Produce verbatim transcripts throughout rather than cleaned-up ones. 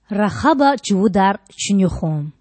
Рахаба чувудар чуьнуьхун.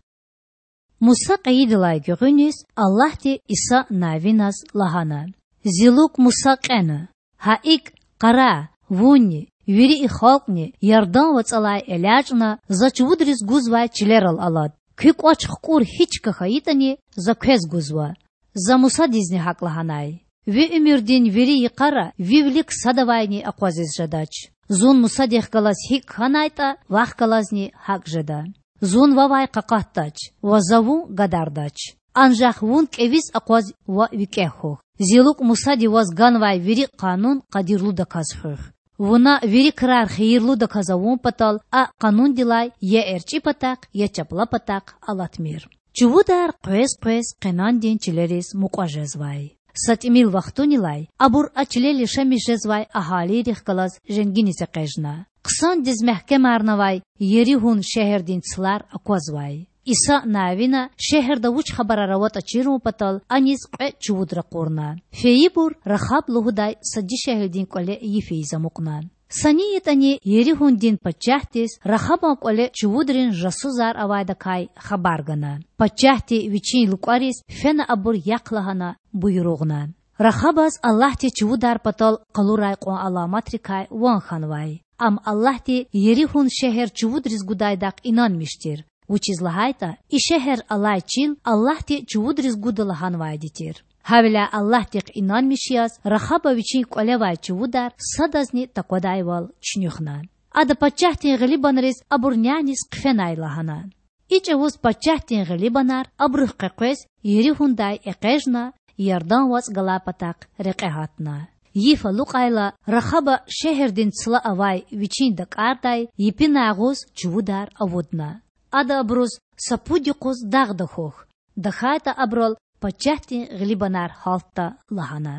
Муса кьейидалай гуьгъуьниз Аллагьди Иса Навиназ лагьана: Зи лукІ Муса кьена. Гьа икІ, къарагъ, вунни, вири и халкьни Ярдан вацІалай элячІна За чувудриз гузвай чилерал алад. Куь кІвач хкІур гьи чка хьайитІани За квез гузва. За Мусадизни гьакІ лагьанай: Ви уьмуьрдин вири йикъара ви вилик садавайни акъвазиз жедач. Зун Мусадихъ галаз гьикІ хьанайтІа, вахъ галазни гьакІ жеда. Зун вавай къакъатдач ва За вун гадардач. Анжах вун кІевиз акъваз ва викІегь хьухь. Зи лукІ Мусади ваз ганвай вири къанун къадирлудаказ хуьх. Вуна вири крар хийирлудаказ авун патал а къанундилай я эрчІи патахъ, я чапла патахъ алатмир. Чувудар къвез-къвез Къенандин чилериз мукьва жезвай. Са тІимил вахтунилай абур а чилел яшамиш жезвай агьалийрихъ галаз женгиниз экъечІна. Хъсандиз мягькемарнавай Еригьун шегьердин цлар аквазвай. Иса Навина шегьерда вуч хабарар аватІа чирун патал аниз кьве чувуд ракъурна. Фейибур Рахаб лугьудай са дишегьлидин кІвале йиф ийиз амукьна. Са ни ятІани Еригьундин пачагьдиз Рахабан кІвале чувудрин жасусар авайдакай хабар гана. Пачагьди вичин лукІариз фена абур яхъ лагьана буйругъна. Рахабаз Аллагьди чувудар патал къалурай кьван аламатрикай ван хьанвай. Ам Аллагьди Еригьун шегьер чувудриз гудайдахъ инанмиш тир, вучиз лагьайтІа и шегьер алай чил Аллагьди чувудриз гуда лагьанвайди тир. Гьавиляй Аллагьдихъ инанмиш яз Рахаба вичин кІвалевай чувудар садазни таквадайвал чуьнуьхна. Ада пачагьдин гъилибанриз абур няниз хъфенай лагьана. И чІавуз пачагьдин гъилибанар абурухъ къекъвез Еригьундай экъечІна, Ярдан вацІ галай патахъ рекье гьатна. Йиф алукьайла, Рахаба шегьердин цла авай вичин дакІардай епинай агъуз чувудар авудна. Ада абуруз: Са пуд юкъуз дагъда хьухь, тахьайтІа абурал пачагьдин гъилибанар гьалтда лагьана.